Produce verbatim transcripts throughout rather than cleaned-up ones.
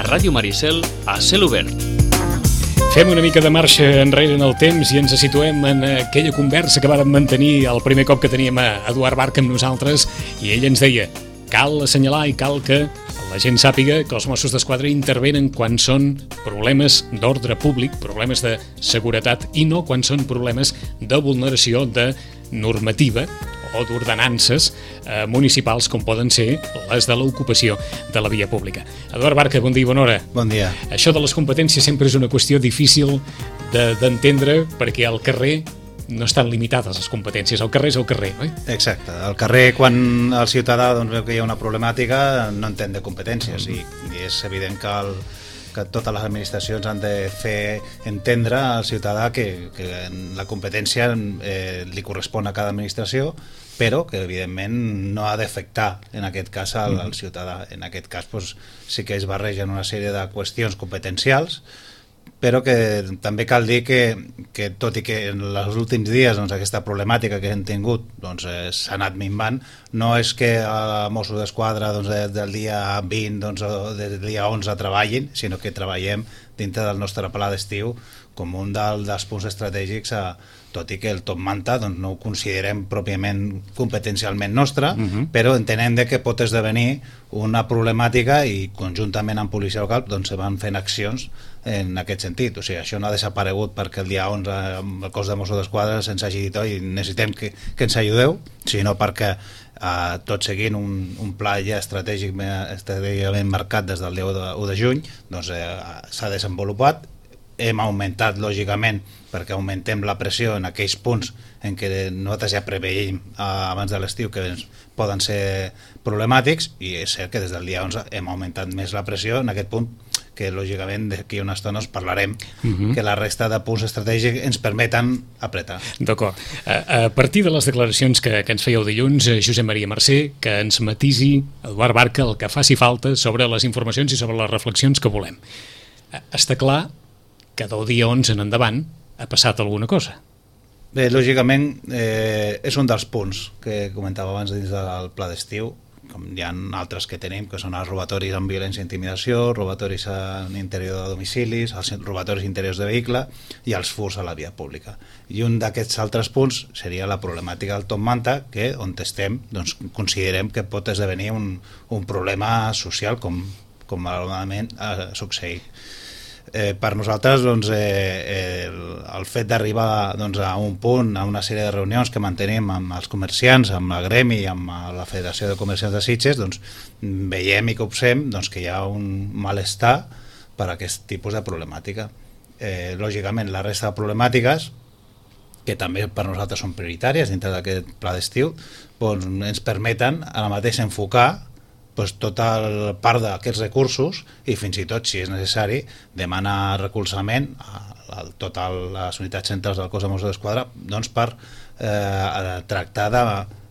Ràdio Maricel, a cel obert. Fem una mica de marxa enrere en el temps i ens situem en aquella conversa que vàrem mantenir el primer cop que teníem a Eduard Barca amb nosaltres, i ell ens deia: cal assenyalar i cal que la gent sàpiga que els Mossos d'Esquadra intervenen quan són problemes d'ordre públic, problemes de seguretat, i no quan són problemes de vulneració de normativa o d'ordenances eh, municipals, com poden ser les de l'ocupació de la via pública. Eduard Barca, bon dia i bona hora. Bon dia. Això de les competències sempre és una qüestió difícil d'entendre, de, perquè al carrer no estan limitades les competències, el carrer és el carrer, oi? Exacte, al carrer quan el ciutadà doncs, veu que hi ha una problemàtica no entén de competències, mm. i, i és evident que, el, que totes les administracions han de fer entendre al ciutadà que, que la competència eh, li correspon a cada administració, però que evidentment no ha d'afectar en aquest cas al, al ciutadà. En aquest cas doncs, sí que es barregen una sèrie de qüestions competencials, però que també cal dir que, que tot i que en els últims dies doncs, aquesta problemàtica que hem tingut doncs, eh, s'ha anat minvant, no és que a Mossos d'Esquadra doncs, des del dia vint doncs, o des del dia onze treballin, sinó que treballem dintre del nostre pla d'estiu com un del, dels punts estratègics, a, tot i que el Top Manta doncs, no ho considerem pròpiament competencialment nostre, uh-huh. però entenem de que pot esdevenir una problemàtica i conjuntament amb policia local doncs, se van fent accions en aquest sentit. O sigui, això no ha desaparegut perquè el dia onze el cos de Mossos d'Esquadra se'ns hagi dit oi, necessitem que, que ens ajudeu, sinó perquè eh, tot seguint un, un pla ja estratègic estratègicament marcat des del dia u de juny doncs, eh, s'ha desenvolupat. Hem augmentat, lògicament, perquè augmentem la pressió en aquells punts en què nosaltres ja preveiem eh, abans de l'estiu que poden ser problemàtics, i és cert que des del dia onze hem augmentat més la pressió en aquest punt, que lògicament d'aquí una estona us parlarem, uh-huh. que la resta de punts estratègics ens permeten apretar. D'acord. A, a partir de les declaracions que, que ens fèieu dilluns, Josep Maria Mercè, que ens matisi, Eduard Barca, el que faci falta sobre les informacions i sobre les reflexions que volem. Està clar que del dia onze en endavant ha passat alguna cosa. Bé, lògicament eh, és un dels punts que comentava abans dins del pla d'estiu, com hi ha altres que tenim, que són els robatoris amb violència i intimidació, robatoris en interior de domicilis, els robatoris interiors de vehicle i els furs a la via pública. I un d'aquests altres punts seria la problemàtica del Top Manta, que on estem doncs, considerem que pot esdevenir un, un problema social com, com malauradament ha succeït. Eh, per nosaltres doncs, eh, el, el fet d'arribar doncs, a un punt, a una sèrie de reunions que mantenim amb els comerciants, amb la Gremi i amb la Federació de Comerciants de Sitges, doncs, veiem i copsem doncs, que hi ha un malestar per a aquest tipus de problemàtica. Eh, lògicament la resta de problemàtiques, que també per nosaltres són prioritàries dintre d'aquest pla d'estiu, doncs, ens permeten ara mateix enfocar pues, tota la part d'aquests recursos i fins i tot, si és necessari, demanar recolzament a, a totes les unitats centrals del cos de Mossos d'Esquadra doncs, per eh, tractar de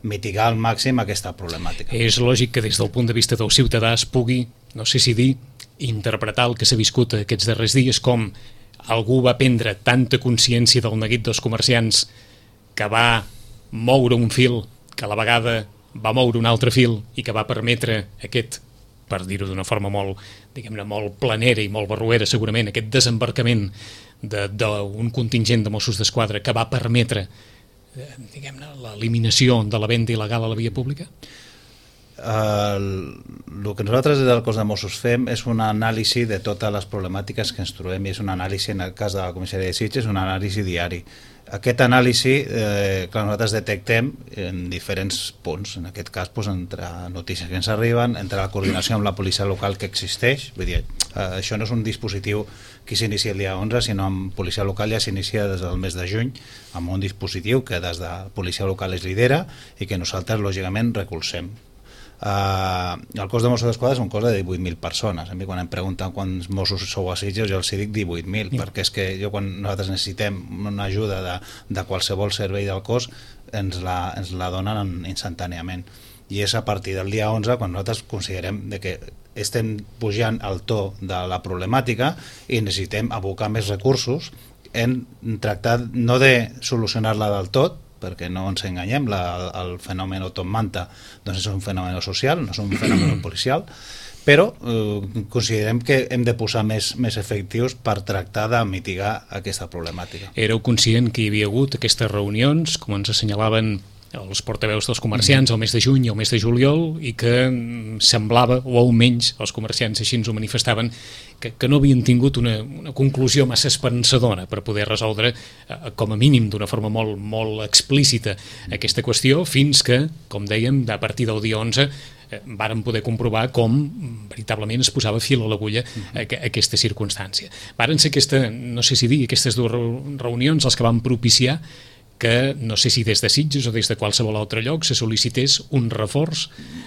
mitigar al màxim aquesta problemàtica. És lògic que des del punt de vista del ciutadà es pugui, no sé si dir, interpretar el que s'ha viscut aquests darrers dies com algú va prendre tanta consciència del neguit dels comerciants que va moure un fil que a la vegada va moure un altre fil i que va permetre aquest, per dir-ho d'una forma molt, diguem-ne, molt planera i molt barruera segurament, aquest desembarcament d'un contingent de Mossos d'Esquadra que va permetre, eh, diguem-ne, l'eliminació de la venda il·legal a la via pública? El, el que nosaltres des del cos de Mossos fem és una anàlisi de totes les problemàtiques que ens trobem, i és una anàlisi, en el cas de la comissaria de Sitges, una anàlisi diari. Aquest anàlisi, eh, que nosaltres detectem en diferents punts, en aquest cas doncs, entre notícies que ens arriben, entre la coordinació amb la policia local que existeix, vull dir, eh, això no és un dispositiu que s'inicia el dia onze, sinó amb policia local ja s'inicia des del mes de juny, amb un dispositiu que des de policia local es lidera i que nosaltres lògicament recolzem. Uh, el cos de Mossos d'Esquadra és un cos de divuit mil persones. A mi quan em pregunten quants Mossos sou a Sitges jo els dic divuit mil, yeah. perquè és que jo quan nosaltres necessitem una ajuda de, de qualsevol servei del cos ens la, ens la donen instantàniament, i és a partir del dia onze quan nosaltres considerem de que estem pujant al to de la problemàtica i necessitem abocar més recursos en tractar no de solucionar-la del tot, perquè no ens enganyem, la, el fenomen Top Manta doncs és un fenomen social, no és un fenomen policial, però eh, considerem que hem de posar més, més efectius per tractar de mitigar aquesta problemàtica. Éreu conscient que hi havia hagut aquestes reunions, com ens assenyalaven els portaveus dels comerciants al mes de juny i al mes de juliol, i que semblava, o almenys els comerciants així ens ho manifestaven, que, que no havien tingut una, una conclusió massa esperançadora per poder resoldre, eh, com a mínim d'una forma molt, molt explícita, aquesta qüestió, fins que, com dèiem, a partir del dia onze eh, vàrem poder comprovar com veritablement es posava fil a l'agulla a, a aquesta circumstància. Varen ser aquesta, no sé si dir, aquestes dues reunions les que van propiciar que no sé si des de Sitges o des de qualsevol altre lloc se sol·licités un reforç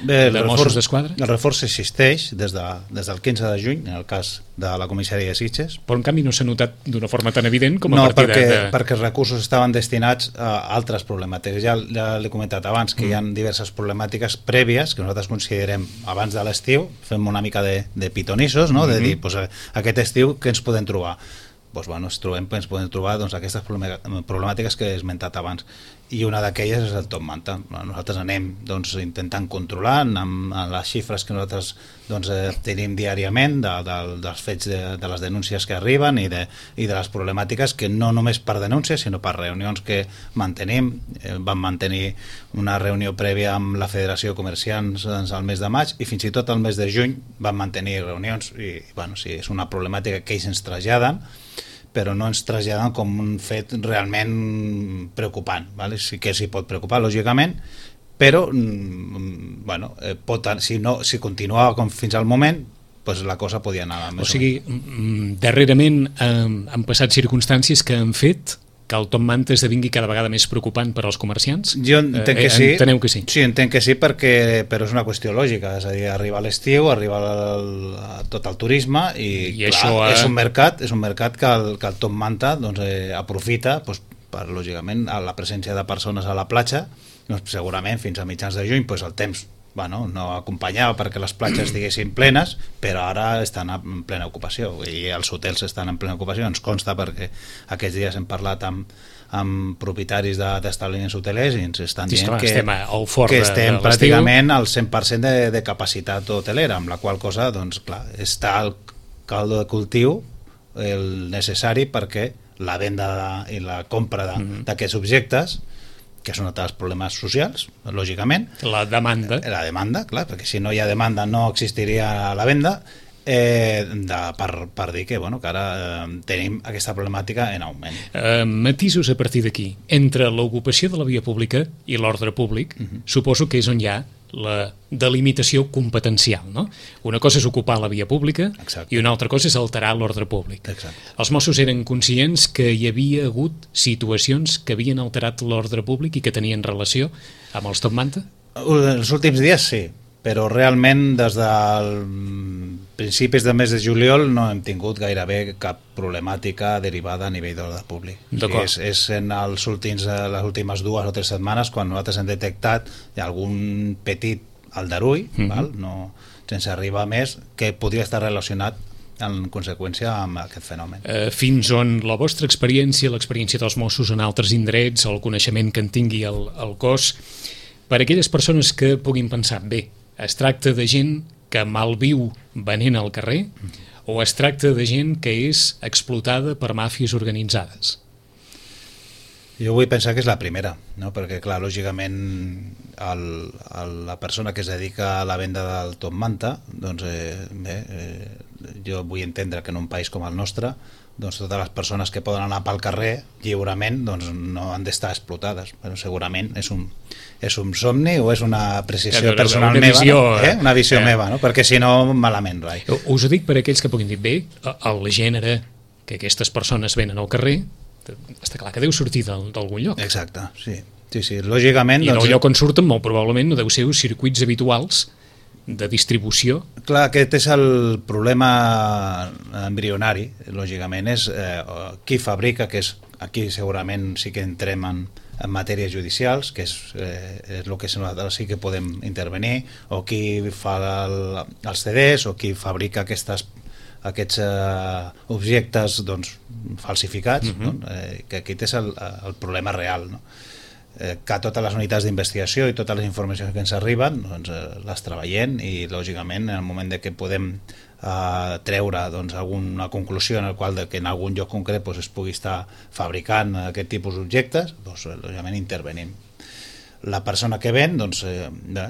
Bé, de Mossos d'Esquadra? El reforç existeix des, de, des del quinze de juny, en el cas de la comissaria de Sitges. Però en canvi no s'ha notat d'una forma tan evident com a no, partir perquè, de... No, perquè els recursos estaven destinats a altres problemàtiques. Ja, ja l'he comentat abans, que mm. hi ha diverses problemàtiques prèvies que nosaltres considerem abans de l'estiu, fem una mica de, de pitonissos, no? Mm-hmm. De dir, pues, aquest estiu què ens podem trobar? Doncs, bueno, ens, trobem, ens podem trobar doncs, aquestes problemàtiques que he esmentat abans, i una d'aquelles és el top manta. Nosaltres anem doncs, intentant controlar amb, amb les xifres que nosaltres doncs, eh, tenim diàriament de, de, dels fets de, de les denúncies que arriben i de, i de les problemàtiques, que no només per denúncies sinó per reunions que mantenim. Eh, vam mantenir una reunió prèvia amb la Federació de Comerciants doncs, al mes de maig, i fins i tot al mes de juny vam mantenir reunions, i bueno, sí, és una problemàtica que ells ens traslladen, però no ens traslladen com un fet realment preocupant, ¿vale? Sí que s'hi pot preocupar, lògicament, però mm, bueno, eh, pot, si, no, si continuava com fins al moment, pues la cosa podia anar més. O sigui, mm, darrerament eh, han passat circumstàncies que han fet que el top manta esdevingui cada vegada més preocupant per als comerciants? Jo entenc que eh, sí. Enteneu que sí? Sí, entenc que sí, perquè, però és una qüestió lògica, és a dir, arriba l'estiu, arriba el, tot el turisme i, I clar, això, eh... és un mercat, és un mercat que el, que el top manta doncs, eh, aprofita doncs, per, lògicament, la presència de persones a la platja, doncs, segurament fins a mitjans de juny doncs, el temps bueno, no acompanyava perquè les platges estiguessin plenes, però ara estan en plena ocupació i els hotels estan en plena ocupació. Ens consta perquè aquests dies hem parlat amb, amb propietaris d'establiments hotelers i ens estan dient sí, que estem, al fort que estem de pràcticament al cent per cent de, de capacitat hotelera, amb la qual cosa doncs, clar, està el caldo de cultiu el necessari perquè la venda de, i la compra d'aquests mm-hmm. objectes, que és un dels problemes socials, lògicament. La demanda. La demanda, clar, perquè si no hi ha demanda no existiria la venda, eh, de, per, per dir que, bueno, que ara eh, tenim aquesta problemàtica en augment. Eh, matisos a partir d'aquí. Entre l'ocupació de la via pública i l'ordre públic, uh-huh. suposo que és on hi ha la delimitació competencial, no? Una cosa és ocupar la via pública. Exacte. I una altra cosa és alterar l'ordre públic. Exacte. Els Mossos eren conscients que hi havia hagut situacions que havien alterat l'ordre públic i que tenien relació amb els top manta? Els últims dies sí, però realment des del principis del mes de juliol no hem tingut gairebé cap problemàtica derivada a nivell d'ordre públic. O sigui, és, és en els últims, les últimes dues o tres setmanes quan nosaltres hem detectat algun petit aldarull, mm-hmm. val? No, sense arribar més, que podria estar relacionat en conseqüència amb aquest fenomen. Eh, fins on la vostra experiència, l'experiència dels Mossos en altres indrets, el coneixement que en tingui el, el cos, per a aquelles persones que puguin pensar, bé, es tracta de gent que malviu venent al carrer o es tracta de gent que és explotada per màfies organitzades? Jo vull pensar que és la primera, no? Perquè clar, lògicament el, el, la persona que es dedica a la venda del top manta, doncs eh, bé, eh, jo vull entendre que en un país com el nostre doncs totes les persones que poden anar pel carrer lliurement doncs no han d'estar explotades. Però segurament és un, és un somni o és una apreciació personal una meva, visió, no? eh? una visió eh. meva, no? Perquè si no, malament, rai. Us ho dic per aquells que puguin dir, bé, el gènere que aquestes persones venen al carrer, està clar que deu sortir d'algun lloc. Exacte, sí. Sí, sí, lògicament... I doncs, el lloc on surten, molt probablement, no deu ser uns circuits habituals de distribució. Clar, aquest és el problema embrionari, lògicament, és eh, qui fabrica, que és aquí segurament sí que entrem en, en matèries judicials, que és, eh, és el que nosaltres sí que podem intervenir, o qui fa el, els C Ds, o qui fabrica aquestes, aquests eh, objectes doncs, falsificats, uh-huh. no? eh, que aquest és el, el problema real, no? eh, que totes les unitats d'investigació i totes les informacions que ens arriben doncs, eh, les treballem i lògicament en el moment de que podem eh, treure doncs, alguna conclusió en el qual de que en algun lloc concret doncs, es pugui estar fabricant aquest tipus d'objectes, doncs, lògicament intervenim. La persona que ven doncs, eh,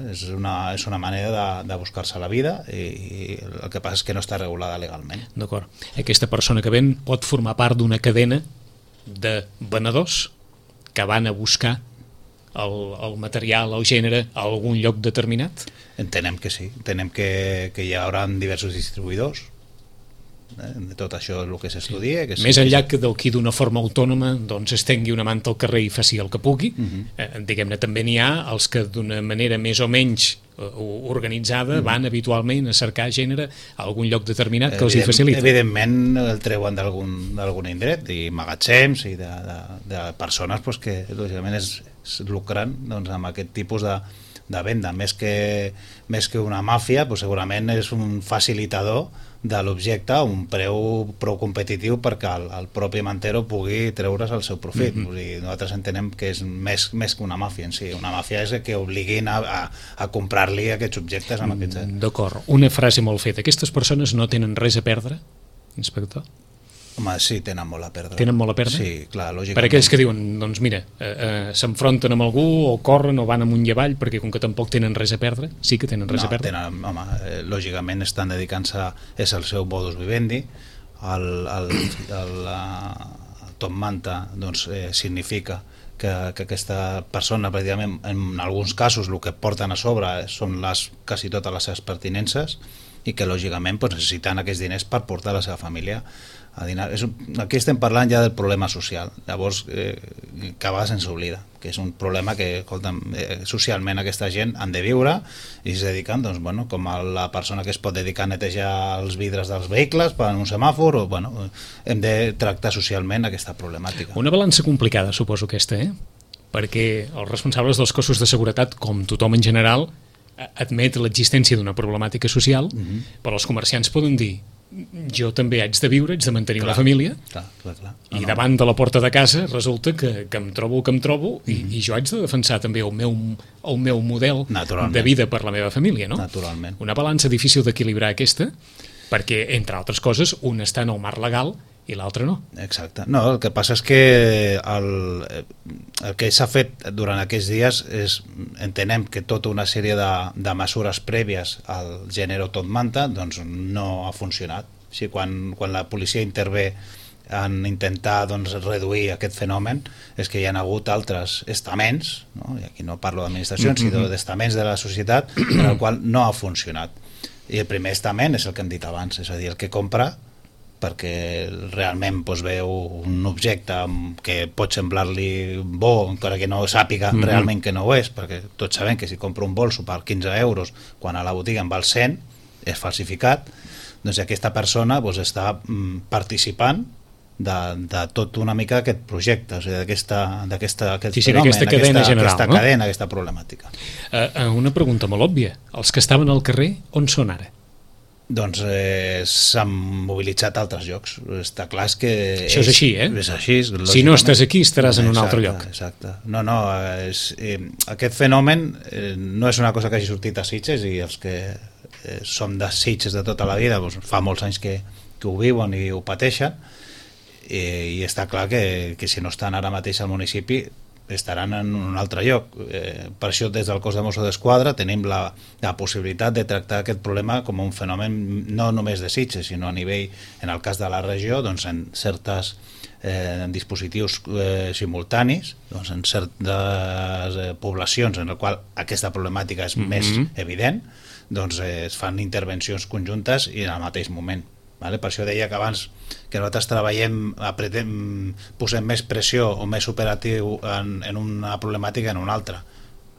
és, una, és una manera de, de buscar-se la vida i, i el que passa és que no està regulada legalment. D'acord. Aquesta persona que ven pot formar part d'una cadena de venedors que van a buscar el, el material, el gènere a algun lloc determinat? Entenem que sí, entenem que, que hi haurà diversos distribuïdors eh, de tot això el que s'estudia. Sí. Més enllà que del qui d'una forma autònoma doncs es tengui una manta al carrer i faci el que pugui, uh-huh. eh, diguem-ne també n'hi ha els que d'una manera més o menys eh, organitzada uh-huh. van habitualment a cercar gènere a algun lloc determinat que Evident, els hi facilita. Evidentment el treuen d'algun indret i magatzems i de, de, de persones pues, que lògicament es, es lucren doncs, amb aquest tipus de, de venda. Més que, més que una màfia, pues, segurament és un facilitador de l'objecte a un preu prou competitiu perquè el, el propi mantero pugui treure's el seu profit. Mm-hmm. Vull dir, nosaltres entenem que és més, més que una màfia en si. Una màfia és que obliguin a, a, a comprar-li aquests objectes amb aquests... D'acord. Una frase molt feta. Aquestes persones no tenen res a perdre, inspector? Home, sí, tenen molt a perdre. Tenen molt a perdre? Sí, clar, lògicament. Per aquells que diuen, doncs mira, eh, eh, s'enfronten amb algú o corren o van amunt i avall perquè com que tampoc tenen res a perdre, sí que tenen res no, a perdre? Tenen, home, eh, lògicament estan dedicant-se, és el seu modus vivendi, el, el, el, el top manta doncs, eh, significa que, que aquesta persona, pràcticament, en alguns casos, el que porten a sobre són les, quasi totes les seves pertinences i que lògicament doncs, necessiten aquests diners per portar la seva família a dinar. És, aquí estem parlant ja del problema social, llavors eh, que a vegades ens oblida, que és un problema que escolta'm, eh, socialment aquesta gent han de viure i es dediquen, doncs, bueno, com a la persona que es pot dedicar a netejar els vidres dels vehicles per un semàfor, o, bueno, hem de tractar socialment aquesta problemàtica. Una balança complicada, suposo aquesta, eh? Perquè els responsables dels cossos de seguretat, com tothom en general, admet l'existència d'una problemàtica social, uh-huh. però els comerciants poden dir jo també haig de viure, haig de mantenir clar, la família clar, clar, clar. No, i no. davant de la porta de casa resulta que, que em trobo el que em trobo uh-huh. i, i jo haig de defensar també el meu, el meu model de vida per la meva família, no? Naturalment. Una balança difícil d'equilibrar aquesta perquè, entre altres coses, un està en el marc legal i l'altre no. Exacte. No, el que passa és que el, el que s'ha fet durant aquests dies és, entenem que tota una sèrie de, de mesures prèvies al gènere tot manta doncs no ha funcionat. O sigui, quan, quan la policia intervé en intentar doncs, reduir aquest fenomen és que hi ha hagut altres estaments, no? I aquí no parlo d'administracions, mm-hmm. sinó d'estaments de la societat en el qual no ha funcionat. I el primer estament és el que hem dit abans, és a dir, el que compra perquè realment doncs, veu un objecte que pot semblar-li bo, encara que no sàpiga mm-hmm. realment que no ho és, perquè tots sabem que si compra un bolso per quinze euros, quan a la botiga en val cent, és falsificat, doncs aquesta persona doncs, està mm, participant de, de tot una mica aquest projecte, o sigui, d'aquesta, d'aquesta, aquest sí, sí, fenomen, aquesta cadena aquesta, general, aquesta no? cadena, aquesta problemàtica. Uh, una pregunta molt òbvia. Els que estaven al carrer, on són ara? Doncs eh, s'han mobilitzat a altres llocs. Està clar que... Això és, és així, eh? És així, si no estàs aquí, estaràs en un exacte, altre lloc. Exacte. No, no, és, eh, aquest fenomen eh, no és una cosa que hagi sortit a Sitges i els que eh, som de Sitges de tota la vida doncs, fa molts anys que, que ho viuen i ho pateixen i, i està clar que, que si no estan ara mateix al municipi estaran en un altre lloc. Eh, per això des del cos de Mossos d'Esquadra tenim la, la possibilitat de tractar aquest problema com un fenomen no només de Sitges, sinó a nivell, en el cas de la regió, doncs en certes eh, en dispositius eh, simultanis, doncs en certes eh, poblacions en el qual aquesta problemàtica és mm-hmm. més evident, doncs eh, es fan intervencions conjuntes i en el mateix moment. Vale? Per això deia que abans que nosaltres treballem, apretem, posem més pressió o més operatiu en, en una problemàtica en una altra.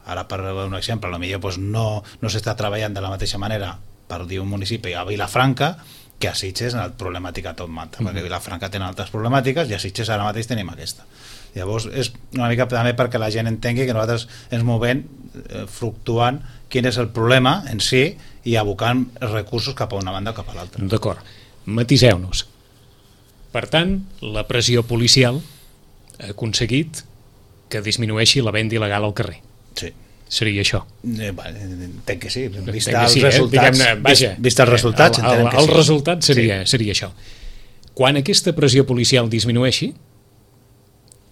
Ara, per un exemple, potser doncs no, no s'està treballant de la mateixa manera per dir un municipi a Vilafranca que a Sitges en la problemàtica tot manta, mm-hmm. perquè a Vilafranca tenen altres problemàtiques i a Sitges ara mateix tenim aquesta. Llavors és una mica també perquè la gent entengui que nosaltres ens movem eh, fluctuant quin és el problema en si i abocant recursos cap a una banda o cap a l'altra. D'acord. Matiseu-nos. Per tant, la pressió policial ha aconseguit que disminueixi la venda il·legal al carrer. Sí. Seria això. Eh, bueno, entenc que sí. Vist els sí, resultats, eh? Vaja, vist, vist els resultats, el, el, entenem que el sí. El resultat seria, sí. seria això. Quan aquesta pressió policial disminueixi,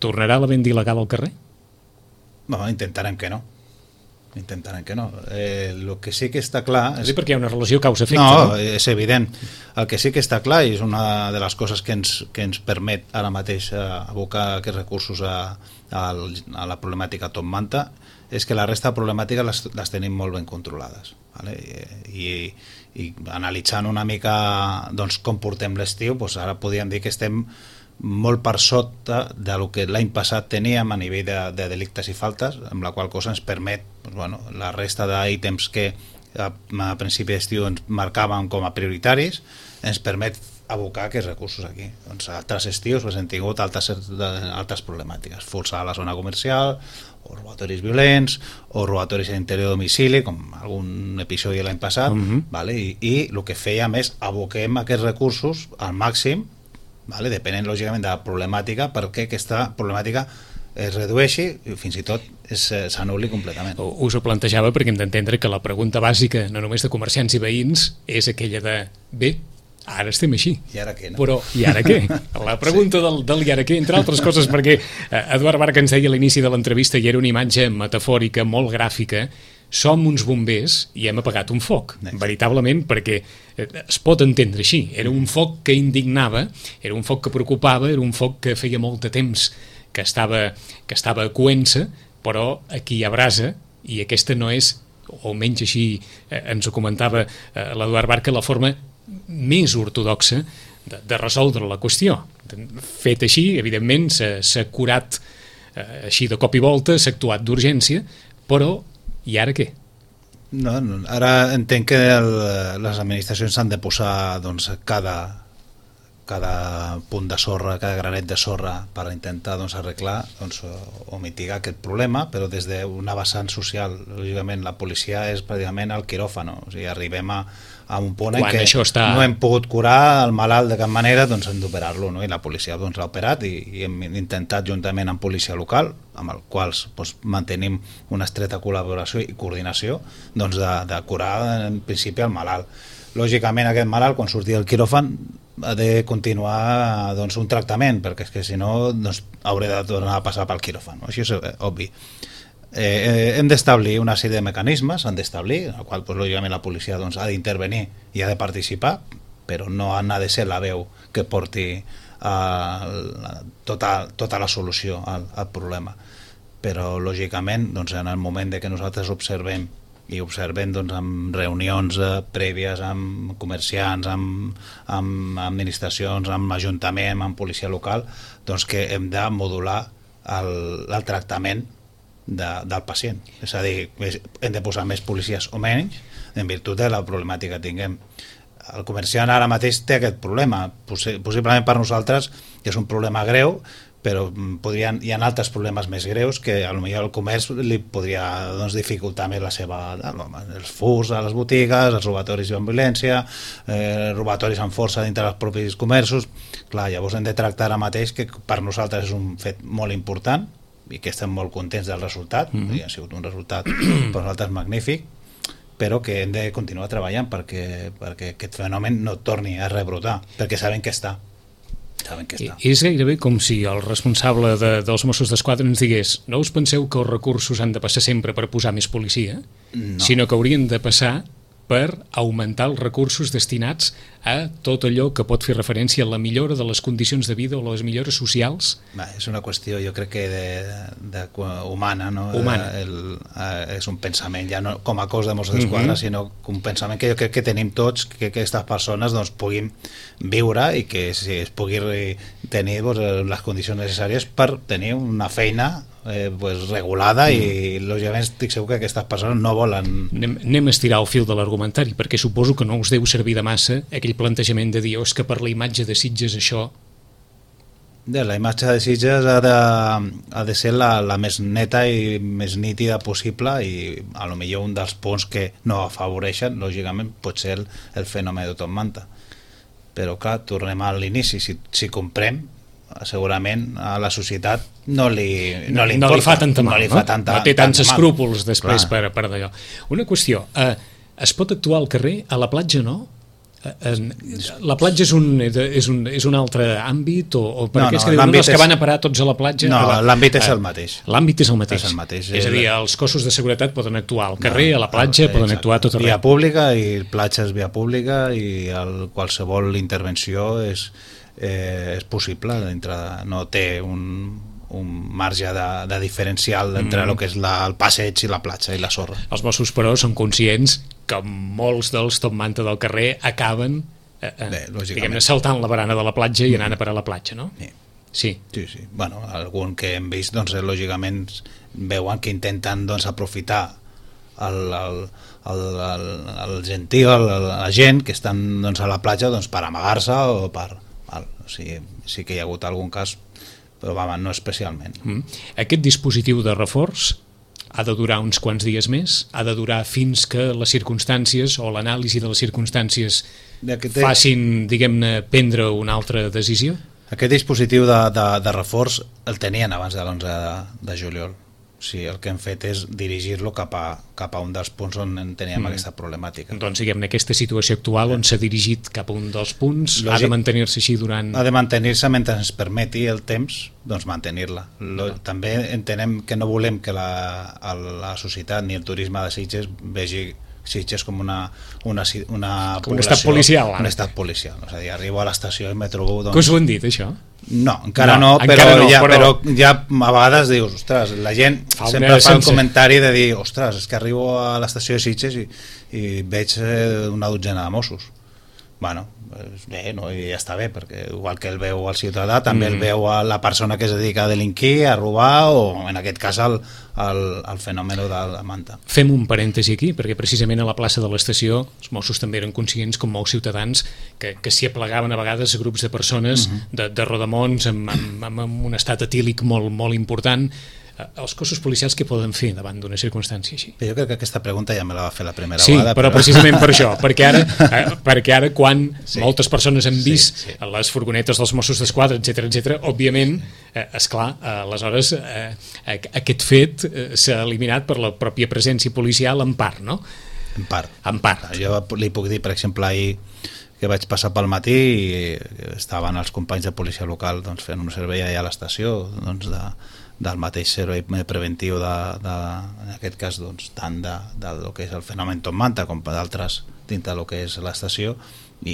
tornarà la venda il·legal al carrer? No, intentarem que no. Intentarem que no. Eh, el que sí que està clar... És... perquè hi ha una relació causa-efecte. No, no, és evident. El que sí que està clar, i és una de les coses que ens, que ens permet ara mateix abocar aquests recursos a, a, a la problemàtica Top Manta, és que la resta de problemàtiques les, les tenim molt ben controlades. Vale? I, i, i analitzant una mica doncs, com portem l'estiu, doncs ara podríem dir que estem molt per sota del que l'any passat teníem a nivell de, de delictes i faltes, amb la qual cosa ens permet doncs, bueno, la resta d'ítems que a, a principi d'estiu ens marcàvem com a prioritaris, ens permet abocar aquests recursos aquí. Doncs altres estius pues, hem tingut altres, altres problemàtiques, forçar a la zona comercial, o robatoris violents, o robatoris a l'interior de domicili, com algun episodi l'any passat, uh-huh. vale? I, i el que fèiem és aboquem aquests recursos al màxim, vale? Depenent lògicament de la problemàtica, perquè aquesta problemàtica es redueixi i fins i tot s'anul·li completament. Us ho plantejava perquè hem d'entendre que la pregunta bàsica, no només de comerciants i veïns, és aquella de, bé, ara estem així. I ara què, no? Però, i ara què? La pregunta sí. del, del i ara què, entre altres coses, perquè Eduard Barca ens deia a l'inici de l'entrevista, i era una imatge metafòrica, molt gràfica, som uns bombers i hem apagat un foc, Next. veritablement, perquè es pot entendre així. Era un foc que indignava, era un foc que preocupava, era un foc que feia molt de temps que estava, que estava coent-se, però aquí hi ha brasa, i aquesta no és, o almenys així eh, ens ho comentava eh, l'Eduard Barca, la forma més ortodoxa de, de resoldre la qüestió. Fet així, evidentment, s'ha curat eh, així de cop i volta, s'ha actuat d'urgència, però i ara què? No, no, ara entenc que el, les administracions s'han de posar doncs, cada, cada punt de sorra, cada granet de sorra per intentar doncs, arreglar doncs, o, o mitigar aquest problema, però des d'una vessant social, lògicament la policia és pràcticament el quiròfano, o sigui, arribem a a un punt en què està... no hem pogut curar el malalt de cap manera, doncs hem d'operar-lo, no? I la policia doncs, l'ha operat i, i hem intentat juntament amb policia local, amb els quals doncs, mantenim una estreta col·laboració i coordinació, doncs, de, de curar en principi el malalt. Lògicament aquest malalt quan surti del quiròfan ha de continuar doncs, un tractament, perquè és que si no doncs, hauré de tornar a passar pel quiròfan, no? Això és eh, obvi. Eh, hem d'establir una sèrie de mecanismes, han d'establir, en el qual doncs, lògicament la policia doncs, ha d'intervenir i ha de participar, però no ha de ser la veu que porti eh, tota, tota la solució al, al problema. Però lògicament doncs, en el moment de que nosaltres observem i observem doncs, amb reunions eh, prèvies amb comerciants, amb, amb administracions, amb ajuntament, amb policia local, doncs que hem de modular el, el tractament De, del pacient, és a dir, hem de posar més policies o menys en virtut de la problemàtica que tinguem. El comerciant ara mateix té aquest problema, possiblement per nosaltres és un problema greu, però podrien, hi ha altres problemes més greus que potser el comerç li podria doncs, dificultar més la seva... els furs a les botigues, els robatoris amb violència, eh, robatoris amb força dintre dels propis comerços. Clar, llavors hem de tractar ara mateix que per nosaltres és un fet molt important i que estem molt contents del resultat, mm-hmm. ha sigut un resultat per nosaltres magnífic, però que hem de continuar treballant perquè, perquè aquest fenomen no torni a rebrotar, perquè sabem que està. Saben que està. És gairebé com si el responsable de, dels Mossos d'Esquadra ens digués: no us penseu que els recursos han de passar sempre per posar més policia, no. sinó que haurien de passar per augmentar els recursos destinats a tot allò que pot fer referència a la millora de les condicions de vida o les millores socials. Va, és una qüestió, jo crec que de, de, de humana, no? Humana. El, eh, és un pensament, ja no com a cos de Mossos d'Esquadra, mm-hmm. sinó un pensament que jo crec que tenim tots, que aquestes persones doncs, puguin viure i que si es pugui tenir doncs, les condicions necessàries per tenir una feina Eh, pues, regulada mm. i lògicament estic segur que aquestes persones no volen... Anem, anem a estirar el fil de l'argumentari, perquè suposo que no us deu servir de massa aquell plantejament de dir oh, és que per la imatge de Sitges això... De la imatge de Sitges ha de, ha de ser la, la més neta i més nítida possible i a lo millor un dels punts que no afavoreixen, lògicament, pot ser el, el fenomen de Top Manta. Però clar, tornem a l'inici, si, si comprem segurament a la societat no li, no li, no importa, li fa tanta mal, no, li no? fa tanta, no té tants escrúpols després Clar. per, per d'allò. Una qüestió, eh, es pot actuar al carrer, a la platja no? Eh, la platja és un, és un, és un altre àmbit o, o per No, què és no, que diuen l'àmbit no, és que és- van a parar tots a la platja? No, Ah, va. l'àmbit és Eh, el mateix. L'àmbit és el mateix. És el mateix. És a dir, els cossos de seguretat poden actuar al carrer, a la platja, Exacte. poden actuar a tot Via arreu. pública i platja és via pública i el, qualsevol intervenció és, eh, és possible dintre de, no té un, un marge de, de diferencial entre Mm. el que és la, el passeig i la platja i la sorra. Els Mossos, però, són conscients que molts dels top manta del carrer acaben eh, eh, Bé, lògicament. diguem-ne, saltant la barana de la platja i anant a parar a la platja, no? Sí. Sí. Sí, sí. Bueno, algun que hem vist, doncs, eh, lògicament, veuen que intenten doncs, aprofitar el, el, el, el, el gentil, el, la gent que estan doncs, a la platja doncs, per amagar-se o per... Val, o sigui, sí que hi ha hagut algun cas, però va, no especialment. Mm. Aquest dispositiu de reforç ha de durar uns quants dies més? Ha de durar fins que les circumstàncies o l'anàlisi de les circumstàncies Aquest, facin, diguem-ne, prendre una altra decisió? aquest dispositiu de, de, de reforç el tenien abans de l'onze de, de juliol. O sigui, el que hem fet és dirigir-lo cap, a, cap a un dels punts on en teníem mm. aquesta problemàtica. Doncs, diguem-ne, aquesta situació actual on s'ha dirigit cap a un dels punts Lògic. ha de mantenir-se així durant... Ha de mantenir-se mentre ens permeti el temps, doncs mantenir-la. Lo- També entenem que no volem que la, el- la societat ni el turisme de Sitges vegi Sitges com una, una, ci- una Com un població- estat policial, ara. un estat policial. És a dir, arribo a l'estació i me trobo... Que us Doncs, ho han dit, això? no, encara No, no, però, encara no, ja, però- però ja a vegades dius, ostres, la gent Fa un sempre mes fa el sense. comentari de dir, ostres, és que arribo a l'estació de Sitges i, i veig eh, una dotzena de Mossos. Bueno, doncs bé, no? I ja està bé, perquè igual que el veu el ciutadà, també Mm. el veu a la persona que es dedica a delinquir, a robar, o en aquest cas el, el, el fenomen de la manta. Fem un parèntesi aquí, perquè precisament a la plaça de l'estació els Mossos també eren conscients, com molts ciutadans, que, que s'hi aplegaven a vegades grups de persones uh -huh. de, de rodamons amb, amb, amb, amb un estat etílic molt, molt important. Eh, Els cossos policials què poden fer davant d'una circumstància així? Però jo crec que aquesta pregunta ja me la va fer la primera Sí, vegada. però precisament per això, perquè ara, eh, perquè ara quan Sí. moltes persones han vist Sí, sí. les furgonetes dels Mossos d'Esquadra, etcètera, etcètera, òbviament, eh, esclar, eh, aleshores eh, aquest fet eh, s'ha eliminat per la pròpia presència policial en part, no? En part. En part. Jo li puc dir, per exemple, ahir que vaig passar pel matí i estaven els companys de policia local doncs, fent un servei allà a l'estació doncs, de, del mateix servei preventiu de, de, en aquest cas doncs, tant de, de lo que és el fenomen Top Manta com d'altres dintre del que és l'estació, i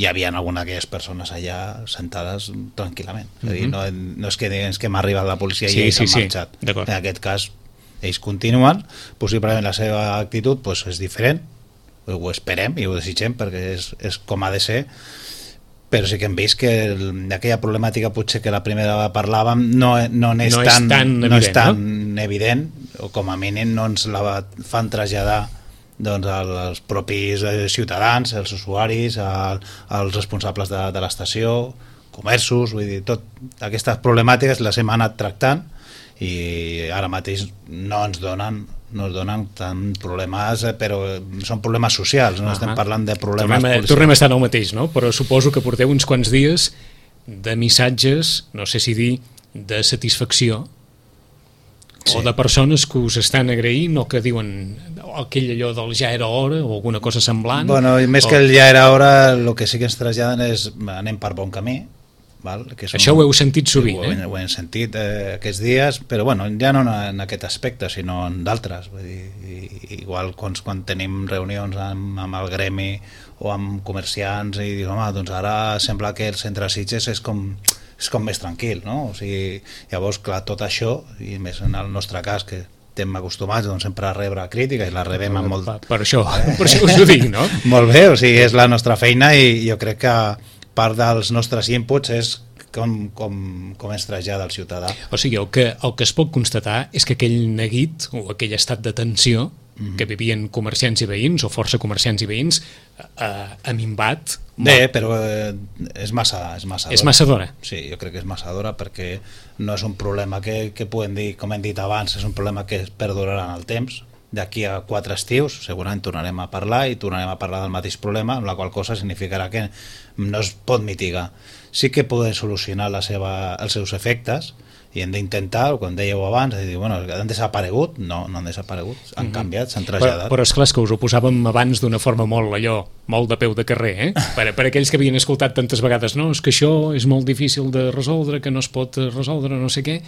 hi havia alguna d'aquelles persones allà sentades tranquil·lament. És a dir, no, no és que diguem que m'ha arribat la policia Sí, i ells sí, han sí, marxat. d'acord. En aquest cas ells continuen, possiblement la seva actitud doncs, és diferent, ho esperem i ho desitgem perquè és, és com ha de ser, però sí que hem vist que el, aquella problemàtica potser que la primera vegada parlàvem no, no, és, No és tan, tan no és evident, tan evident, o com a mínim no ens la fan traslladar doncs, als propis eh, ciutadans, els usuaris, al, als responsables de, de l'estació, comerços, vull dir, tot aquestes problemàtiques les hem anat tractant i ara mateix no ens donen no es donen tant problemes, eh, però són problemes socials, no Ah, estem parlant de problemes tornem, a, policials. tornem a estar en el mateix, no? Però suposo que porteu uns quants dies de missatges, no sé si dir, de satisfacció, Sí. o de persones que us estan agraint o que diuen aquell allò del ja era hora o alguna cosa semblant. Bueno, i més o... que el ja era hora, el que sí que ens traslladen és anem per bon camí, val? Que és Això un... ho heu sentit sovint, ho, eh? ho hem sentit eh, aquests dies, però bueno, ja no en aquest aspecte, sinó en d'altres. Vull dir, i, igual quan, quan tenim reunions amb, amb el gremi o amb comerciants i dius, home, doncs ara sembla que el centre de Sitges és com, és com més tranquil, no? O sigui, llavors, clar, tot això, i més en el nostre cas, que estem acostumats doncs, sempre a rebre crítica i la rebem amb molt... Per, per això, per això us ho dic, no? Molt bé, o sigui, és la nostra feina i jo crec que part dels nostres inputs és com, com, com ens trasllada el ciutadà. O sigui, el que, el que es pot constatar és que aquell neguit o aquell estat de tensió mm-hmm. que vivien comerciants i veïns o força comerciants i veïns eh, ha minvat molt. Bé, però eh, és massa és massa És massa d'hora. Sí, jo crec que és massa d'hora perquè no és un problema que, que podem dir, com hem dit abans, és un problema que es perdurarà en el temps. D'aquí a quatre estius segurament tornarem a parlar i tornarem a parlar del mateix problema, amb la qual cosa significarà que no es pot mitigar. sí que poden solucionar la seva, els seus efectes, i hem d'intentar, com dèieu abans, de dir, bueno, han desaparegut? No, no han desaparegut, han mm-hmm. canviat, s'han traslladat. Però, però esclar, és que us ho posàvem abans d'una forma molt allò, molt de peu de carrer, eh? Per, per aquells que havien escoltat tantes vegades, no, és que això és molt difícil de resoldre, que no es pot resoldre, no sé què,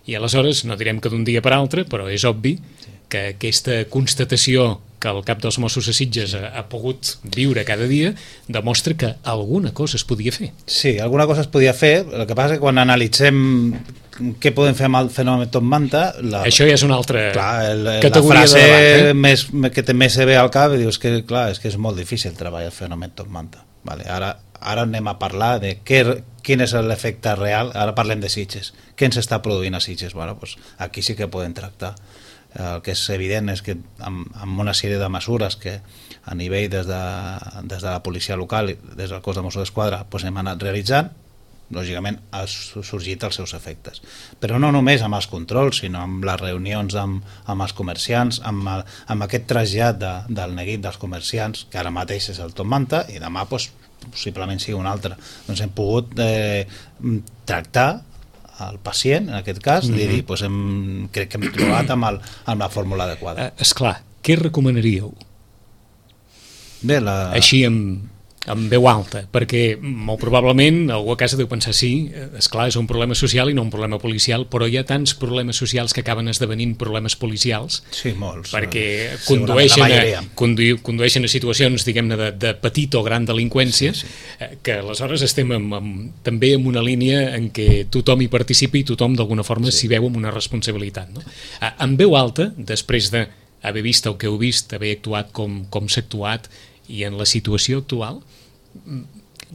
i aleshores, no direm que d'un dia per altre, però és obvi sí. que aquesta constatació que el cap dels Mossos a Sitges ha, ha pogut viure cada dia demostra que alguna cosa es podia fer. Sí, alguna cosa es podia fer, el que passa és que quan analitzem què podem fer amb el fenomen Top Manta, la, això ja és una altra clar, el, categoria la frase de debat, eh? més, que també se ve al cap i dius que, clar, és que és molt difícil treballar el fenomen Top Manta. Vale, ara, ara anem a parlar de què, quin és l'efecte real, ara parlem de Sitges, què ens està produint a Sitges? Bueno, pues aquí sí que podem tractar. El que és evident és que amb, amb una sèrie de mesures que a nivell des de, des de la policia local i des del cos de Mossos d'Esquadra pues hem anat realitzant, lògicament ha sorgit els seus efectes, però no només amb els controls, sinó amb les reunions amb, amb els comerciants, amb, el, amb aquest trasllat de, del neguit dels comerciants, que ara mateix és el Top Manta i demà pues, possiblement sigui un altre. Doncs hem pogut eh, tractar el pacient, en aquest cas, mm-hmm. i dir, pues hem, crec que hem trobat amb, el, amb la fórmula adequada. Eh, esclar, què recomanaríeu? Bé, la... Així amb, amb veu alta, perquè molt probablement algú a casa deu pensar sí, esclar, és un problema social i no un problema policial, però hi ha tants problemes socials que acaben esdevenint problemes policials, sí, molts, perquè condueixen a, condu, condueixen a situacions, diguem-ne, de, de petita o gran delinqüència, sí, sí. que aleshores estem amb, amb, també en una línia en què tothom hi participa i tothom d'alguna forma s'hi sí. veu amb una responsabilitat. No? En veu alta, després d'haver vist el que heu vist, haver actuat com, com s'ha actuat, i en la situació actual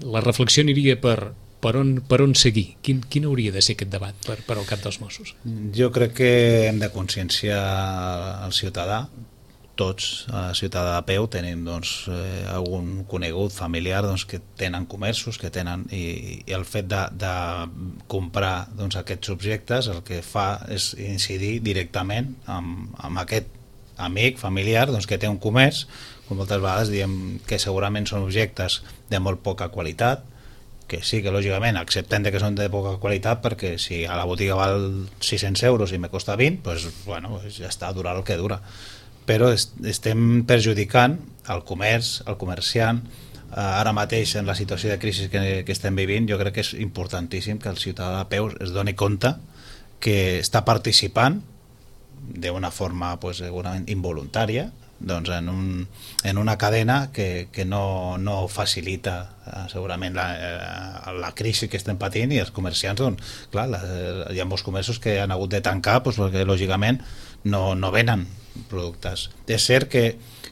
la reflexió aniria per, per, on, per on seguir. Quin, quin hauria de ser aquest debat per, per al cap dels Mossos? Jo crec que hem de conscienciar el ciutadà, tots, el ciutadà de peu, tenim doncs, eh, algun conegut familiar doncs, que tenen comerços, que tenen, i, i el fet de, de comprar doncs, aquests objectes el que fa és incidir directament amb, amb aquest amic, familiar, doncs, que té un comerç, com moltes vegades diem que segurament són objectes de molt poca qualitat, que sí que lògicament acceptem que són de poca qualitat, perquè si a la botiga val sis-cents euros i me costa vint, doncs, bueno, ja està, dura el que dura. Però est estem perjudicant el comerç, el comerciant. Eh, ara mateix, en la situació de crisi que, que estem vivint, jo crec que és importantíssim que el ciutadà de peu es doni compte que està participant d'una forma pues, segurament involuntària doncs en, un, en una cadena que, que no, no facilita eh, segurament la, eh, la crisi que estem patint, i els comerciants doncs, clar, la, hi ha molts comerços que han hagut de tancar doncs, perquè lògicament no, no venen productes. És cert que,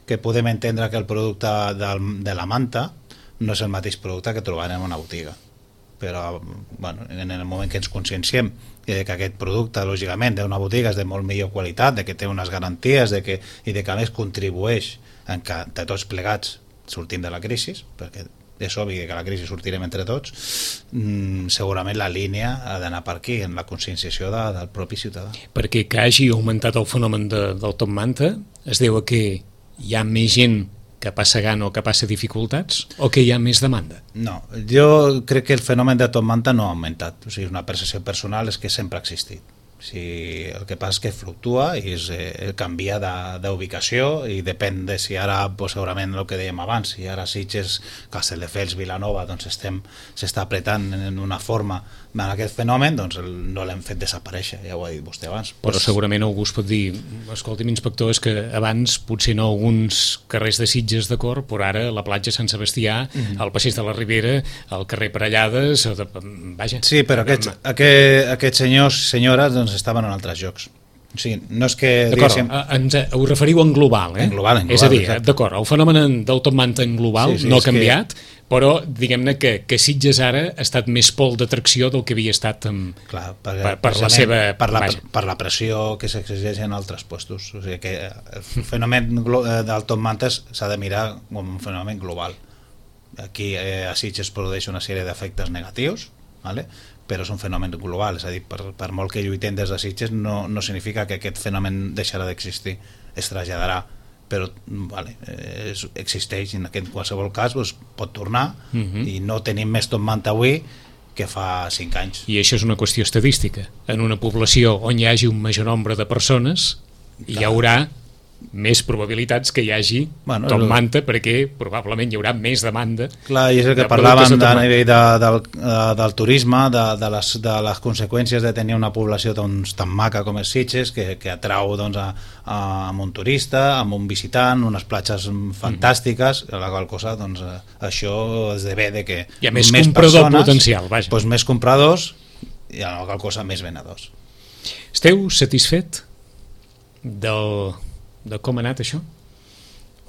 que podem entendre que el producte del, de la manta no és el mateix producte que trobarem en una botiga, però bueno, en el moment que ens conscienciem de que aquest producte, lògicament, d'una botiga és de molt millor qualitat, de que té unes garanties de que, i de que a més contribueix en que de tots plegats sortim de la crisi, perquè és obvi que la crisi sortirem entre tots, mmm, segurament la línia ha d'anar per aquí, en la conscienciació de, del propi ciutadà. Perquè que hagi augmentat el fenomen de, del Top Manta es deu a que hi ha més gent que passa gana o que passa dificultats, o que hi ha més demanda? No, jo crec que el fenomen de Top Manta no ha augmentat. O sigui, una percepció personal és que sempre ha existit. O sigui, el que passa és que fluctua i és, eh, canvia d'ubicació i depèn de si ara, pues, segurament el que dèiem abans, si ara Sitges, Castelldefels, Vilanova, doncs estem s'està apretant en una forma en aquest fenomen, doncs el, no l'hem fet desaparèixer, ja ho ha dit vostè abans. Però pues, segurament algú es pot dir, escolti'm, inspector, és que abans potser no alguns carrers de Sitges, d'acord, però ara la platja Sant Sebastià, mm-hmm. el passeig de la Ribera, el carrer Parellades, de, vaja. Sí, però aquests, aquest, aquests senyors i senyores doncs estaven en altres llocs. O sigui, no és que... D'acord, ens ho referiu en global, eh? En global, en global. És a dir, d'acord, el fenomen del Top Manta en global sí, sí, no ha canviat, que... però diguem-ne que, que Sitges ara ha estat més pol d'atracció del que havia estat amb, Clar, per, per, per la seva... Per la, per la pressió que s'exigeix en altres puestos. O sigui que el fenomen del Top Manta s'ha de mirar com un fenomen global. Aquí eh, a Sitges produeix una sèrie d'efectes negatius, ¿vale? Però és un fenomen global, és a dir, per, per molt que lluitem des de Sitges no, no significa que aquest fenomen deixarà d'existir, es traslladarà, però vale, eh, existeix, en aquest qualsevol cas doncs, pot tornar, uh-huh. i no tenim més Top Manta avui que fa cinc anys. I això és una qüestió estadística. En una població on hi hagi un major nombre de persones, Clar. hi haurà més probabilitats que hi hagi bueno, Tom Manta, perquè probablement hi haurà més demanda. Clar, i és el que de parlàvem de, a nivell de, del, del turisme, de, de, les, de les conseqüències de tenir una població doncs, tan maca com és Sitges, que, que atrau doncs, a, a, amb un turista, amb un visitant, unes platges fantàstiques, mm. la qual cosa, doncs, això esdevé de que hi ha més, més comprador persones, potencial, vaja. Doncs, més compradors i la qual cosa més venedors. Esteu satisfet del... de com ha anat això?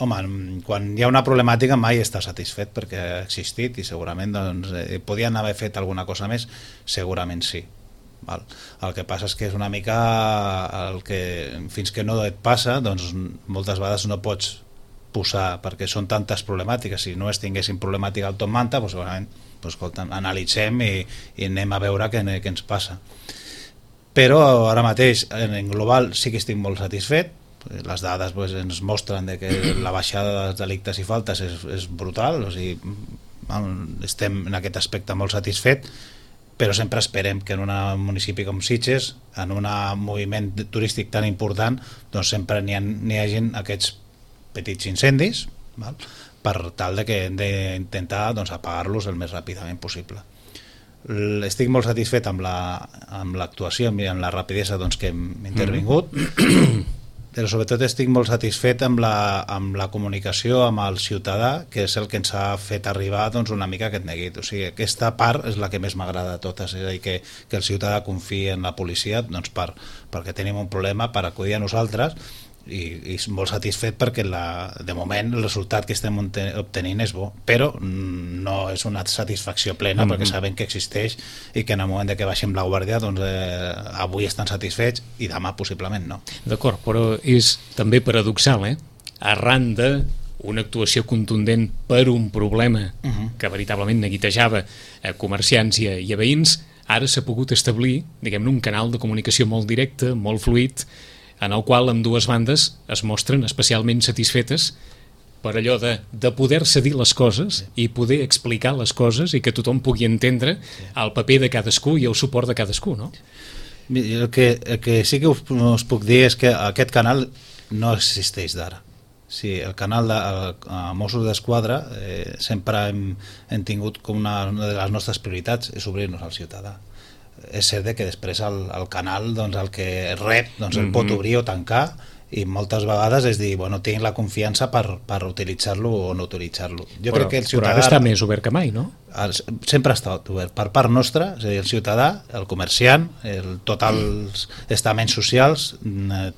Home, quan hi ha una problemàtica mai està satisfet perquè ha existit i segurament doncs, eh, podien haver fet alguna cosa més, segurament sí. Val? El que passa és que és una mica el que fins que no et passa, doncs moltes vegades no pots posar, perquè són tantes problemàtiques. Si no es tinguessin problemàtica al Tom Manta, doncs segurament doncs, escolta, analitzem i, i anem a veure què, què ens passa. Però ara mateix en global sí que estic molt satisfet. Les dades pues, ens mostren de que la baixada dels delictes i faltes és, és brutal, o sigui, estem en aquest aspecte molt satisfet, però sempre esperem que en un municipi com Sitges, en un moviment turístic tan important, doncs sempre n'hi ha, n'hi hagin aquests petits incendis, val? Per tal de que hem d'intentar doncs, apagar-los el més ràpidament possible. Estic molt satisfet amb l'actuació la, i amb la rapidesa doncs, que hem intervingut, mm. però sobretot estic molt satisfet amb la, amb la comunicació amb el ciutadà, que és el que ens ha fet arribar doncs, una mica aquest neguit. O sigui, aquesta part és la que més m'agrada de totes, és a dir, que, que el ciutadà confiï en la policia doncs, per, perquè tenim un problema per acudir a nosaltres, i, i molt satisfet perquè la, de moment el resultat que estem obtenint és bo, però no és una satisfacció plena, mm-hmm. perquè sabem que existeix i que en el moment de que baixem la guàrdia doncs, eh, avui estan satisfets i demà possiblement no. D'acord, però és també paradoxal, eh? Arran de una actuació contundent per un problema uh-huh. que veritablement neguitejava a comerciants i a, i a veïns, ara s'ha pogut establir, diguem-ne, un canal de comunicació molt directe, molt fluid, en el qual amb dues bandes es mostren especialment satisfetes per allò de, de poder-se dir les coses sí. i poder explicar les coses i que tothom pugui entendre sí. el paper de cadascú i el suport de cadascú, no? El que, el que sí que us, us puc dir és que aquest canal no existeix d'ara. Sí, el canal de el, a Mossos d'Esquadra eh, sempre hem, hem tingut com una, una de les nostres prioritats és obrir-nos al ciutadà. És cert que després el, el canal doncs, el que rep doncs, el mm-hmm. pot obrir o tancar i moltes vegades és dir, bueno, tinc la confiança per, per utilitzar-lo o no utilitzar-lo. Jo però, crec que el ciutadà... Però ara està més obert que mai, no? Sempre ha estat obert. Per part nostra, és a dir, el ciutadà, el comerciant, el, tots els estaments socials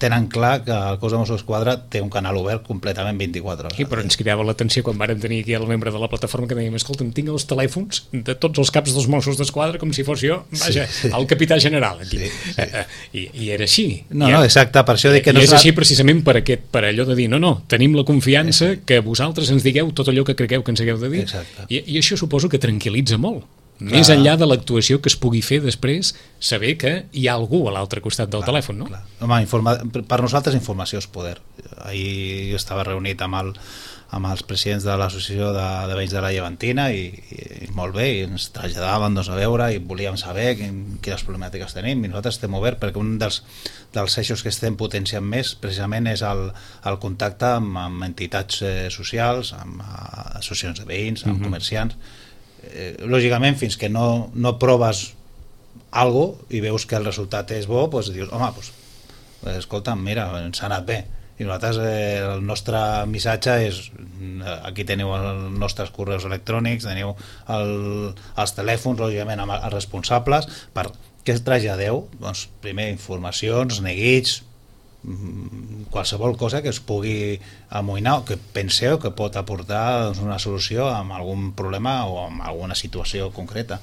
tenen clar que el cos de Mossos d'Esquadra té un canal obert completament vint-i-quatre hores. Sí, però ens cridava l'atenció quan vàrem tenir aquí el membre de la plataforma que dèiem, escolta'm, tinc els telèfons de tots els caps dels Mossos d'Esquadra com si fos jo, vaja, sí, sí. el capità general aquí. Sí, sí. I, I era així. No, I, no, exacte, per això dic que no és la... així precisament per, aquest, per allò de dir, no, no, tenim la confiança sí. que vosaltres ens digueu tot allò que cregueu que ens hagueu de dir. I, I això suposo que tranquil·litza molt. Clar. Més enllà de l'actuació que es pugui fer després, saber que hi ha algú a l'altre costat del clar, telèfon, no? Clar. Home, informa... per nosaltres informació és poder. Ahir jo estava reunit amb, el, amb els presidents de l'associació de, de veïns de la Llevantina i, i, i molt bé, i ens traslladaven doncs, a veure i volíem saber quin, quines problemàtiques tenim i nosaltres estem oberts perquè un dels, dels eixos que estem potenciant més precisament és el, el contacte amb, amb entitats eh, socials, amb uh, associacions de veïns, amb uh-huh. comerciants. Eh, lògicament fins que no, no proves algo i veus que el resultat és bo, doncs dius, home, doncs, escolta, mira, ens ha anat bé i nosaltres eh, el nostre missatge és, aquí teniu els nostres correus electrònics, teniu el, els telèfons, lògicament amb els responsables, per què es traslladeu? Doncs primer informacions, neguits, qualsevol cosa que es pugui amoïnar o que penseu que pot aportar doncs, una solució amb algun problema o amb alguna situació concreta.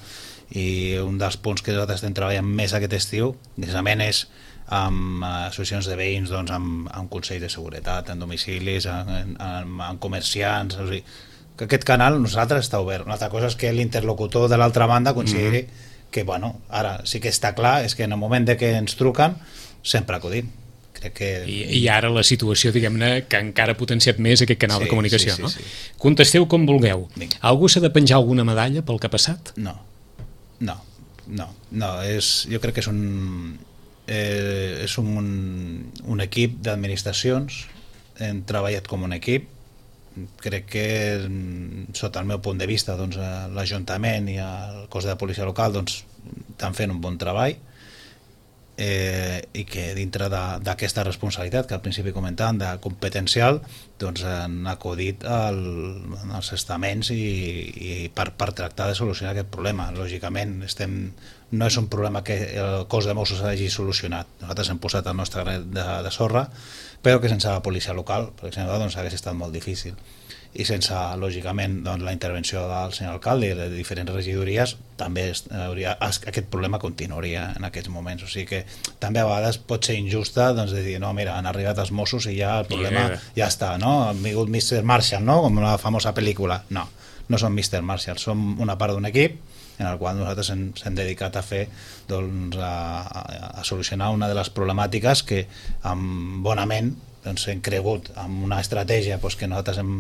I un dels punts que nosaltres estem treballant més aquest estiu precisament és amb associacions de veïns, doncs, amb, amb consells de seguretat, en domicilis, en, en, en comerciants, o sigui, que aquest canal nosaltres està obert. Una altra cosa és que l'interlocutor de l'altra banda consideri mm-hmm. que, bueno, ara sí que està clar, és que en el moment de que ens truquen sempre acudim. Que... I, I ara la situació, diguem-ne, que encara ha potenciat més aquest canal sí, de comunicació, sí, sí, no? Sí. Contesteu com vulgueu. Vinga. Algú s'ha de penjar alguna medalla pel que ha passat? No. No, no, no és, jo crec que és un, eh, és un, un equip d'administracions, hem treballat com un equip, crec que sota el meu punt de vista doncs, l'Ajuntament i el cos de policia local doncs, estan fent un bon treball, eh, i que dintre d'aquesta responsabilitat que al principi comentàvem de competencial doncs han acudit al, als estaments i, i per, per tractar de solucionar aquest problema. Lògicament estem, no és un problema que el cos de Mossos hagi solucionat, nosaltres hem posat el nostre granet de, de sorra, però que sense la policia local, per exemple, doncs hagués estat molt difícil, i sense, lògicament, doncs, la intervenció del senyor alcalde i de diferents regidories, també hauria, aquest problema continuaria en aquests moments. O sigui que també a vegades pot ser injusta doncs, de dir, no, mira, han arribat els Mossos i ja el problema ja està, no? Han vingut mister Marshall, no? Com la famosa pel·lícula. No, no som mister Marshall, som una part d'un equip en el qual nosaltres ens hem dedicat a fer doncs, a, a solucionar una de les problemàtiques que amb bonament doncs, hem cregut amb una estratègia doncs, que nosaltres hem,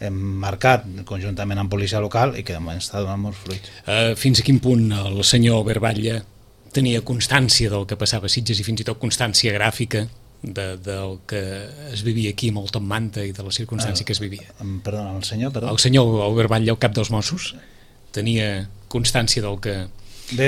hem marcat conjuntament amb policia local i que de moment està donant molts fruits. Uh, fins a quin punt el senyor Berbatlle tenia constància del que passava a Sitges i fins i tot constància gràfica de, del que es vivia aquí amb el Top Manta i de la circumstància uh, que es vivia? Perdona, el senyor? Perdó. El senyor Berbatlle, el cap dels Mossos, tenia constància del que... Bé,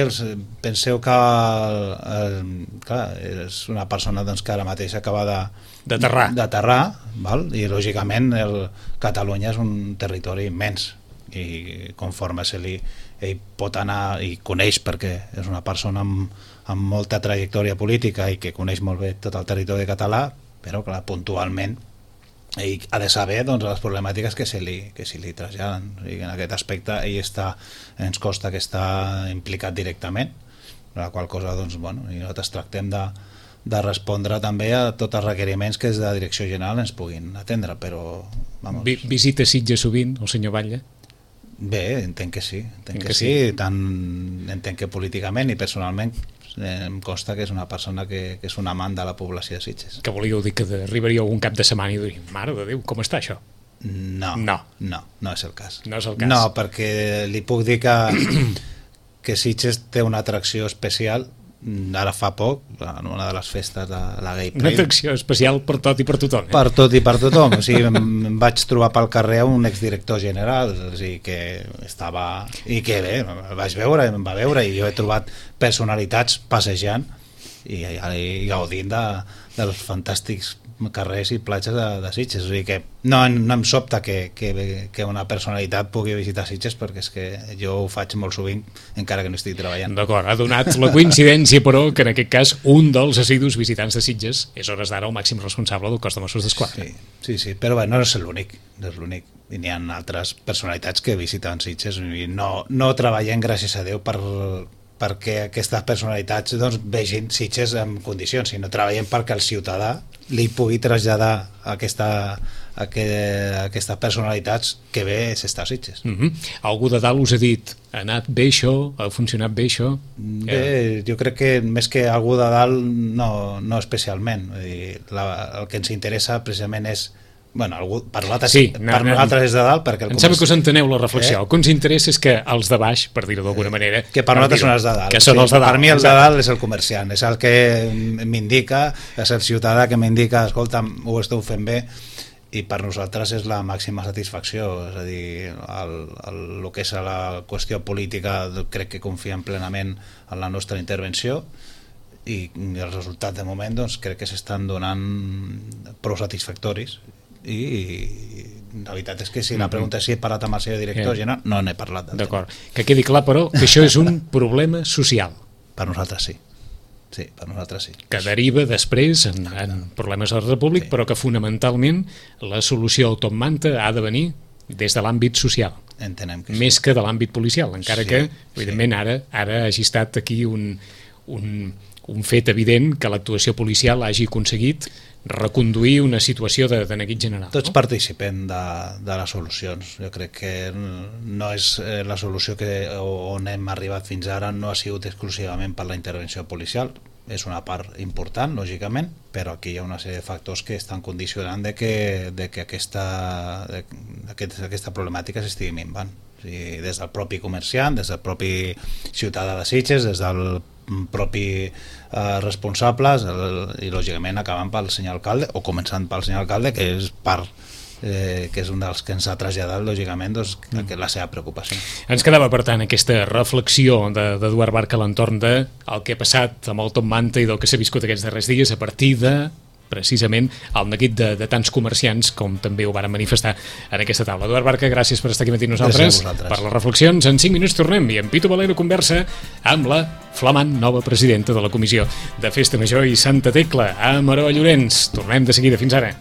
penseu que el, el, clar, és una persona doncs, que ara mateix acaba de d'aterrar, d'aterrar, val? I lògicament el, Catalunya és un territori immens i conforme se li, ell pot anar i coneix, perquè és una persona amb, amb molta trajectòria política i que coneix molt bé tot el territori català, però clar, puntualment ell ha de saber doncs, les problemàtiques que se li, que se li traslladen. I en aquest aspecte ell està, ens costa que està implicat directament, la qual cosa doncs, bueno, i nosaltres tractem de, de respondre també a tots els requeriments que des de la Direcció General ens puguin atendre, però vamos. Vi, visita Sitges sovint el senyor Batlle? Bé, entenc que sí, entenc que, que sí, sí. Tant entenc que políticament i personalment em consta que és una persona que, que és un amant de la població de Sitges. Que volíeu dir que arribaria algun cap de setmana i diria, mare de Déu, com està això? No, no, no, no és el cas. No és el cas. No, perquè li puc dir que, que Sitges té una atracció especial. Ara fa poc, en una de les festes de la Gay Pride. Una atracció especial per tot i per tothom. Eh? Per tot i per tothom. O sigui, em vaig trobar pel carrer un exdirector general, o sigui, que estava... I que bé, el vaig veure, em va veure, i jo he trobat personalitats passejant i, i gaudint de, dels fantàstics carrers i platges de, de Sitges. O sigui que no, no em sobta que, que, que una personalitat pugui visitar Sitges, perquè és que jo ho faig molt sovint encara que no estic treballant. D'acord, ha donat la coincidència però que en aquest cas un dels assidus visitants de Sitges és hores d'ara el màxim responsable del cos de Mossos d'Esquadra. Sí, sí, sí, però bé, no és l'únic, no és l'únic. I n'hi ha altres personalitats que visiten Sitges i no, no treballem, gràcies a Déu, per perquè aquestes personalitats doncs, vegin Sitges en condicions, sinó treballem perquè el ciutadà li pugui traslladar aquesta, aquesta, aquestes personalitats que bé s'està a Sitges. Mm-hmm. Algú de dalt us ha dit, ha anat bé això, ha funcionat bé això? Bé, eh... jo crec que més que algú de dalt no, no especialment. Vull dir, la, el que ens interessa precisament és bueno, algú, per nosaltres, sí, per no, nosaltres és de dalt perquè el em sembla que us enteneu la reflexió, eh? El que ens interessa és que els de baix, per dir-ho d'alguna manera, que per nosaltres són els de dalt, que són sí, els de dalt. Per mi el de dalt és el comerciant, és el que m'indica, és el ciutadà que m'indica, escolta, ho esteu fent bé, i per nosaltres és la màxima satisfacció. És a dir, el, el, el que és la qüestió política crec que confiem plenament en la nostra intervenció i els resultats de moment doncs, crec que s'estan donant prou satisfactoris. I la veritat és que si la pregunta és si he parlat amb el seu director yeah. general, no n'he parlat. D'acord, que quedi clar però que això és un problema social. Per nosaltres sí, sí, per nosaltres sí. Que deriva després en, en problemes de la República, sí. Però que fonamentalment la solució al Top Manta ha de venir des de l'àmbit social. Entenem que sí. Més que de l'àmbit policial, encara sí, que evidentment sí. ara, ara hagi estat aquí un, un, un fet evident que l'actuació policial hagi aconseguit reconduir una situació de, de neguit general. Tots no? participem de, de les solucions. Jo crec que no és la solució que on hem arribat fins ara no ha sigut exclusivament per la intervenció policial. és una part important, lògicament, però aquí hi ha una sèrie de factors que estan condicionant de que, de que aquesta, de, aquest, aquesta problemàtica s'estigui minvant. O sigui, des del propi comerciant, des del propi ciutadà de Sitges, des del propi eh, responsables el, i lògicament acabant pel senyor alcalde o començant pel senyor alcalde, que és part Eh, que és un dels que ens ha traslladat lògicament doncs, mm. la seva preocupació. Ens quedava per tant aquesta reflexió d'Eduard Barca a l'entorn de el que ha passat amb el Top Manta i del que s'ha viscut aquests darrers dies a partir de precisament el neguit de, de tants comerciants com també ho varen manifestar en aquesta taula. Eduard Barca, gràcies per estar aquí amb nosaltres, per les reflexions. En cinc minuts tornem i en Pitu Valero conversa amb la flamant nova presidenta de la Comissió de Festa Major i Santa Tecla, a Maroa Llorenç. Tornem de seguida. Fins ara.